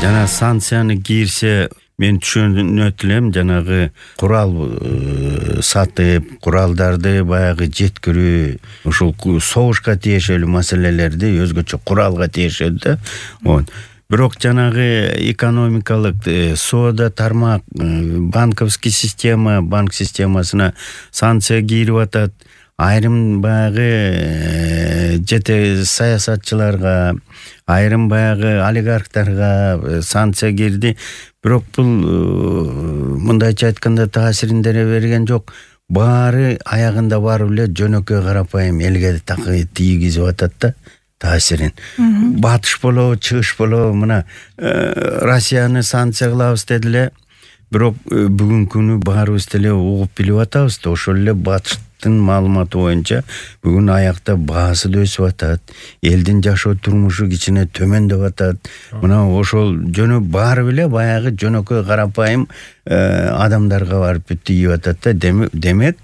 Жана санкцияны кийирсе мен түшүнөт элем, жанагы курал сатып, куралдарды баягы жеткирүү, ушул согушка тиешелүү маселелерди өзгөчө куралга тиешет да. Бирок жанагы экономикалык соода тармак, банковский система, банк системасына санкция кийирип атат. Айрым баягы жете саясатчыларга, айрым баягы олигархтарга санкция кирди. Бирок бул мындайча айтканда таасирин деле берген жок. Баары аягында барып эле жөнөкөй карапайым элге тийгизип атат да таасирин. Батыш болобу, чыгыш болобу, мына Россияны санкция кылабыз деди эле. Бирок бүгүнкү күнү баарыбыз деле угуп билип атабыз да, ошол эле батыштын маалыматы боюнча бүгүн аякта баасы да өсүп атат. Элдин жашоо турмушу кичине төмөндөп атат. Мына ошол барып эле баягы жөнөкөй карапайым адамдарга барып тийип атат да. Демек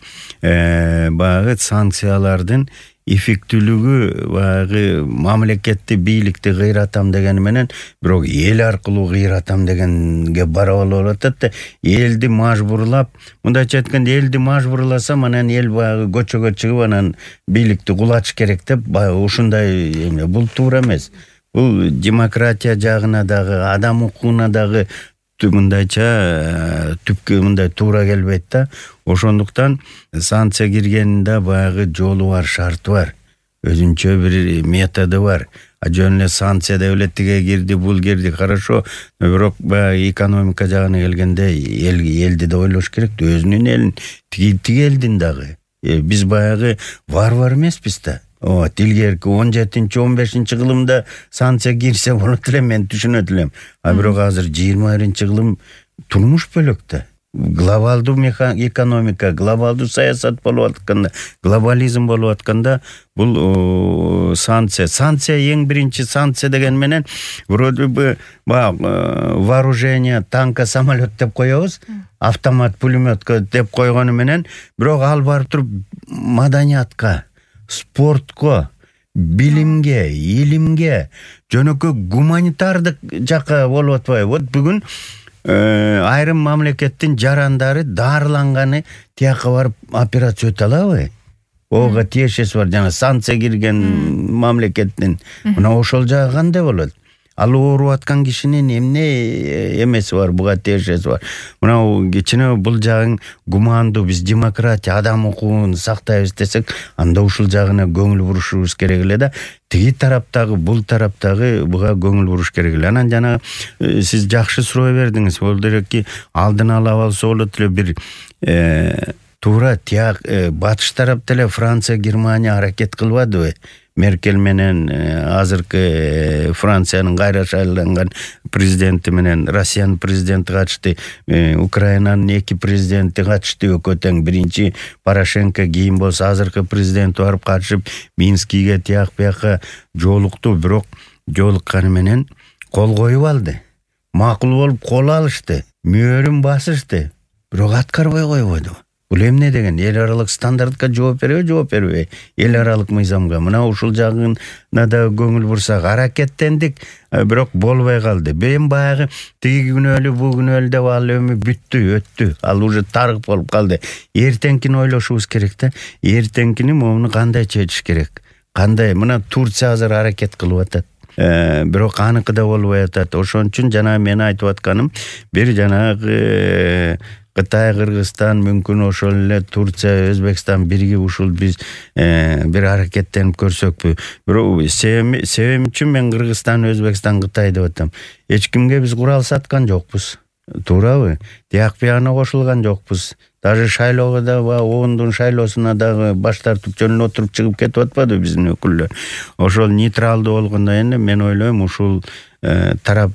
баягы санкциялардын эффектүүлүгү баягы мамлекетти, бийликти кыйратам дегени менен бирок эл аркылуу кыйратам дегенге барабар болуп атат да. Элди мажбурлап, мындайча айтканда элди мажбурласа, анан эл баягы көчөгө чыгып анан бийликти кулатыш керек деп ушундай эме. Бул туура эмес. Бул демократия жагына дагы, адам укугуна дагы мындайча түпкү мындай туура келбейт да. Ошондуктан санкция киргенинде баягы жолу бар, шарты бар. Өзүнчө бир методу бар. Жөн эле санкция деп эле тиге кирди, бул кирди, хорошо. Бирок баягы экономика жагына келгенде элди да ойлош керек. Өзүнүн элин, тиги элдин дагы. Биз баягы варвар эмеспиз да. Илгерки 17-15 кылымда санкция кирсе болот эле, мен түшүнөт элем. Бирок азыр 21 кылым турмуш бөлөк да. Глобалдуу экономика, глобалдуу саясат болуп атканда, глобализм болуп атканда бул санкция эң биринчи санкция деген менен вроде бы вооружение, танка, самолет деп коебуз, автомат, пулеметка деп койгону менен, бирок ал барып туруп маданиятка, спортко, билимге, илимге, жөнөкөй гуманитардык жакка болуп атпайбы? Вот бүгүн айрым мамлекеттин жарандары дарыланганы тияка барып операция өтө алабы? Ого тиешеси бар, жана санкция кирген мамлекеттин. Мына ошол жагы кандай болот? Ал ооруп аткан кишинин эмне эмеси бар, буга тиешеси бар. Мына кичине бул жагын гумандуу, биз демократия, адам укугун сактайбыз десек, анда ушул жагына көңүл бурушубуз керек эле да. Тиги тараптагы, бул тараптагы буга көңүл буруш керек эле. Анан жана сиз жакшы суроо бердиңиз. Бул дереки алдын ала алса болот эле, бир туура тияк батыш тарап деле Франция, Германия аракет кылбадыбы? Меркель менен азыркы Франциянын кайра шайланган президенти менен Россиянын президенти катышты, Украинанын 2 президенти катышты экөө тең. Биринчи Порошенко, кийин болсо азыркы президент барып катышып Минскиге тияк бияка жолукту, бирок жолукканы менен кол коюп алды. Макул болуп кол алышты, мөөрүн басышты, бирок аткарбай койбойду. Бул эмне деген? Эл аралык стандартка жооп бербей? Эл аралык мыйзамга. Мына ушул жагына да көңүл бурсак, аракеттендик, бирок болбой калды. Мен баягы тиги күнөөлүү, бу күнөөлүү деп ал өмү бүттү, өттү. Ал уже тарых болуп калды. Эртеңкини ойлошубуз керек да. Эртеңкини муну кандай чечиш керек? Кандай? Мына Турция азыр аракет кылып атат. Бирок аныкы да болбой атат. Ошон үчүн жана мен айтып атканым, бир жанагы Кытай, Кыргызстан, мүмкүн ошол эле Турция, Өзбекстан биригип ушул биз бир аракеттенип көрсөкпү. Бирок себеп үчүн мен Кыргызстан, Өзбекстан, Кытай деп атам. Эч кимге биз курал саткан жокпуз. Туурабы? Тияк бияна кошулган жокпуз. Даже шайлоого да, оондун шайлоосуна дагы баш тартып жөнүнө отуруп чыгып кетип атпады биздин өкүлдөр. Ошол нейтралдуу болгондо эми мен ойлойм ушул тарап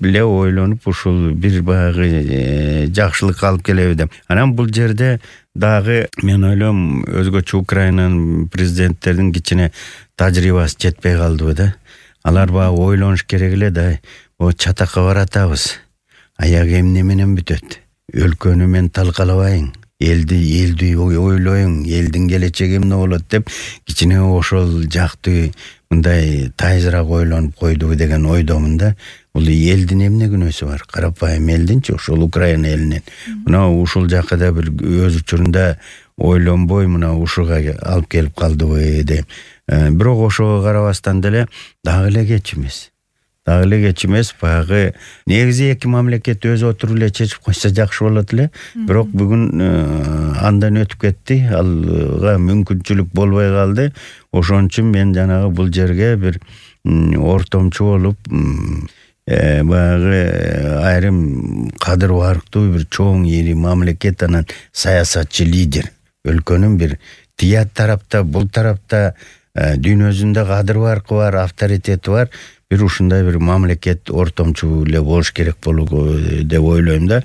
эле ойлонуп ушул бир баягы жакшылык алып келеби деп. Анан бул жерде дагы мен ойлойм өзгөчө Украинанын президенттердин кичине тажрыйбасы жетпей калдыбы да. Алар баягы ойлонуш керек эле да. Чатакка баратабыз. Аягы эмне менен бүтөт? Өлкөнү мен талкалабайын. Элди ойлоюң, элдин келечеги эмне болот деп кичине ошол жакты мындай тайызыраак ойлонуп койдубу деген ойдомун да. Бул элдин эмне күнөөсү бар? Карапайым элдинчи, ошол Украина элинин. Мына ушул жакыда бир өз учурунда ойлонбой мына ушуга алып келип калдыбы деп. Бирок ошого карабастан деле дагы эле кеч эмес. Баягы негизи эки мамлекет өзү отуруп эле чечип койсо жакшы болот эле. Бирок бүгүн андан өтүп кетти. Алга мүмкүнчүлүк болбой калды. Ошон үчүн мен жанагы бул жерге бир ортомчу болуп баягы айрым кадыр барктуу бир чоң ири мамлекет анан саясатчы лидер, өлкөнүн бир тия тарапта, бул тарапта дүйнөсүндө кадыр баркы бар, авторитети бар, бир ушундай бир мамлекет ортомчу эле болуш керек деп ойлойм да.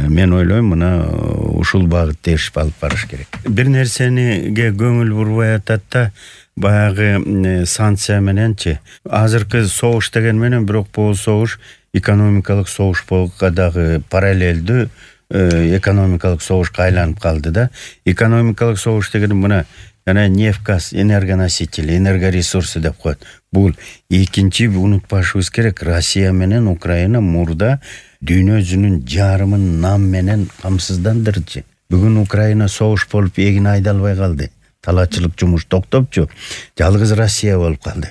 Мен ойлойм мына ушул багытта иш алып барыш керек. Бир нерсениге көңүл бурбай атат да, баягы санкция мененчи. Азыркы согуш деген менен, бирок бул согуш экономикалык согуш болуп дагы параллелдүү экономикалык согушка айланып калды да. Экономикалык согуш деген мына жана нефть, газ, энергоносители, энергоресурсы деп коет. Бул экинчи унутпашыбыз керек. Россия менен Украина мурда дүйнөсүнүн жарымын нам менен камсыздандырчу. Бүгүн Украина согуш болуп эгин айдалбай калды. Талаачылык жумуш токтопчу. Жалгыз Россия болуп калды.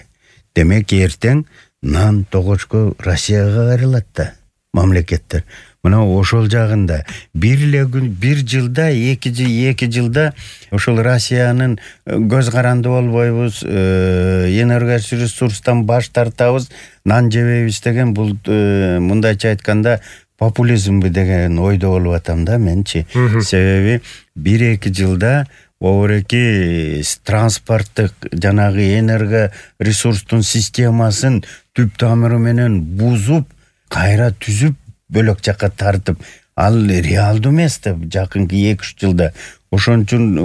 Демек эртең нан тогочко Россияга кайрылат да мамлекеттер. Мына ошол жагында бир жылда, эки жылда ошол Россиянын көз каранды болбойбуз, энергоресурстан баш тартабыз, нан жебейбиз деген бул мындайча айтканда популизмби деген ойдо болуп атам да менчи. Себеби 1-2 жылда обуреки транспорттук жанагы энергоресурстун системасын түп тамыры менен бузуп, кайра түзүп бөлөк жакка тартып, ал реалдуу эмес да жакынкы 2-3 жылда. Ошон үчүн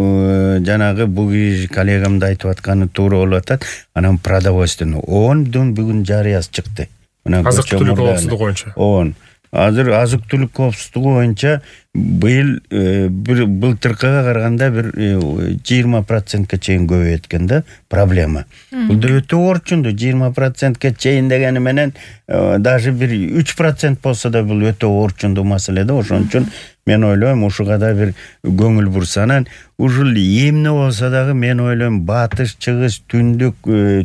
жанагы бул коллегамды айтып атканы туура болуп атат. Анан продовольственный ООНдун бүгүн жарыясы чыкты. Азык-түлүк коопсуздугу боюнча. Азыр азык-түлүк коопсуздугу боюнча быйыл былтыркыга караганда бир 20%ке чейин көбөйөт экен да проблема. Бул да өтө орчундуу. 20%ке чейин дегени менен даже бир 3% болсо да бул өтө орчундуу маселе да. Ошон үчүн мен ойлойм ушуга да бир көңүл бурсанан, ушул эмне болсо дагы мен ойлойм батыш, чыгыш, түндүк,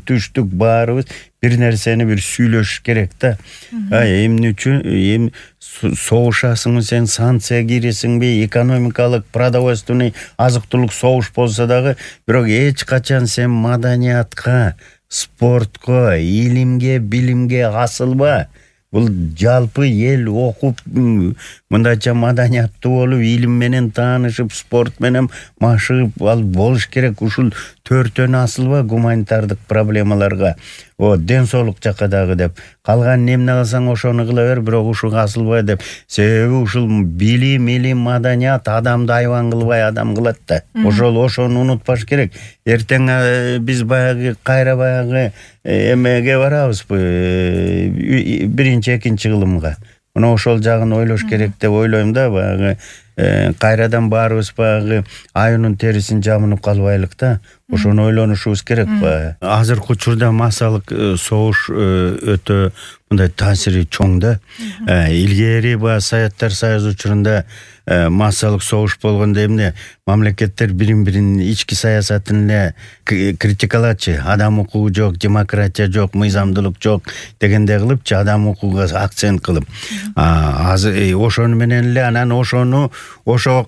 түштүк баарыбыз бир нерсени бир сүйлөшүш керек да. Эмне үчүн согушасыңбы сен, санкция киресиңби, экономикалык, продовольственный, азык-түлүк согуш болсо дагы, бирок эч качан сен маданиятка, спортко, илимге, билимге асылба. Бул жалпы эл окуп, мындайча маданияттуу болуп, илим менен таанышып, спорт менен машыгып ал болуш керек. Ушул төртөн асылба гуманитардык проблемаларга. Ден соолук жакка дагы деп. Калган эмне кылсаң ошону кыла бер, бирок ушуга асылбай деп. Себеби ушул билим, маданият адамды айван кылбай адам кылат да. Ошону унутпаш керек. Эртең биз баягы кайра баягы эмеге барабыз, 1-2 кылымга. Мына ошол жагын ойлош керек деп ойлойм да. Баягы кайрадан баарыбыз баягы айынын терисин жамынып калбайлык да. Ошону ойлонушубуз керек. Азыркы учурда массалык согуш өтө мындай таасири чоң да. Илгери Советтер Союзу учурунда массалык согуш болгондо эмне мамлекеттер бирин-бирин ички саясатын эле критикалачы. Адам укугу жок, демократия жок, мыйзамдуулук жок дегендей кылыпчы, адам укугуга акцент кылып. Ошону менен эле анан ошого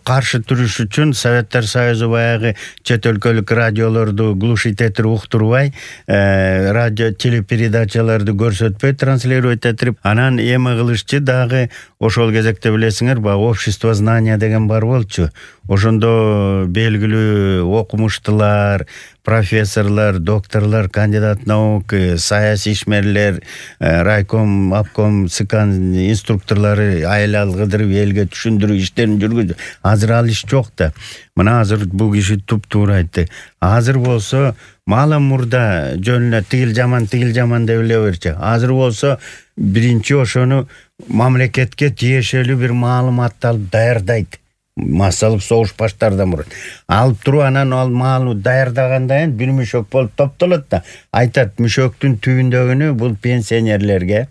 каршы туруш үчүн Советтер Союзу баягы чет өлкөлүк радиолорду глушить этип уктурбай, радио телепередачаларды көрсөтпөй, транслировать этип, анан эме кылышчы дагы. Ошол кезекте билесиңер, баягы общество знания деген бар болчу. Ошондо белгилүү окумуштуулар, профессорлор, докторлор, кандидат наук, саясий ишмерлер, райком, обком, СКАН инструкторлору айла кыдырып элге түшүндүрүү иштерин жүргүздү. Азыр ал иш жок да. Мына азыр бул киши туп-туура айтты. Азыр болсо мала мурда жөнүнө тигил жаман деп эле берчи. Азыр болсо биринчи ошону мамлекетке тиешелүү бир маалыматты алып даярдайт. массалык согуш баштаардан мурун алып туруп анан ал маалды даярдагандан кийин бир мүшөк болуп топтолот да айтат мүшөктүн түбүндөгүнү бул пенсионерлерге,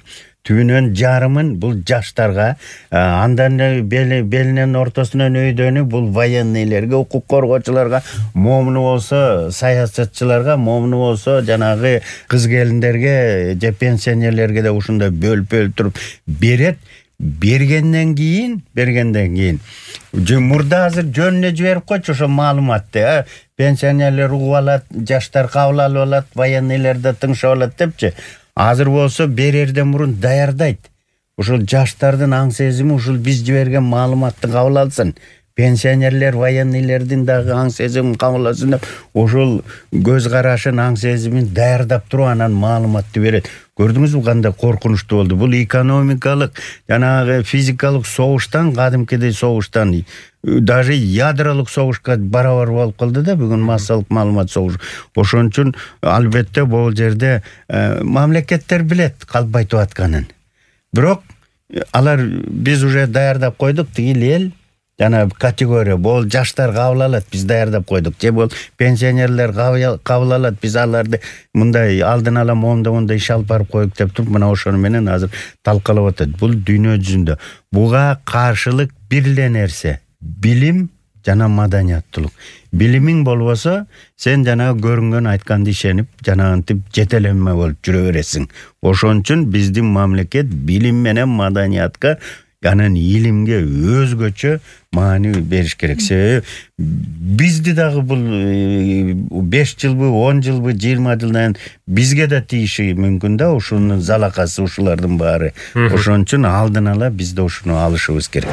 түбүнөн жарымын бул жаштарга, андан белинен ортосунан өйдөнү бул военныйлерге, укук коргоочуларга, момуну болсо саясатчыларга, момуну болсо жанагы кыз келиндерге же пенсионерлерге да ушундай бөлүп туруп берет. Бергенден кийин мурда азыр жөнүнө жиберип койчу ошо маалыматты. Пенсионерлер угуп алат, жаштар кабыл алып алат, военныйлер да тыңшап алат депчи. Азыр болсо берерден мурун даярдайт. Ушул жаштардын аң сезими ушул биз жиберген маалыматты кабыл алсын. Пенсионерлер, военныйлердин дагы аң сезимин кабыл алсын деп, ушул көз карашын, аң сезимин даярдап туруп анан маалыматты берет. Көрдүңүзбү кандай коркунучтуу болду? Бул экономикалык, жанагы физикалык согуштан, кадимкидей согуштан, даже ядролук согушка барабар болуп калды да бүгүн массалык маалымат согушу. Ошон үчүн албетте бул жерде мамлекеттер билет калбайтып атканын. Бирок алар биз уже даярдап койдук, тигил эл жана категория бул жаштар кабыл алат, биз даярдап койдук. Же бул пенсионерлер кабыл алат, биз аларды мындай алдын ала моундай иш алып барып коюк деп туруп, мына ошону менен азыр талкалап атат. Бул дүйнө жүзүндө буга каршылык бир эле нерсе: билим жана маданияттуулук. Билимиң болбосо, сен жанагы көрүнгөн айтканды ишенип, жанагынтип жетелеме болуп жүрө бересиң. Ошон үчүн биздин мамлекет билим менен маданиятка, анан илимге өзгөчө маани бериш керек. Себеби бизди дагы бул 5 жылбы, 10 жылбы, 20 жылдан бизге да тийиши мүмкүн да, ушунун залакасы ушулардын баары. Ошон үчүн алдын ала бизде ушуну алышыбыз керек.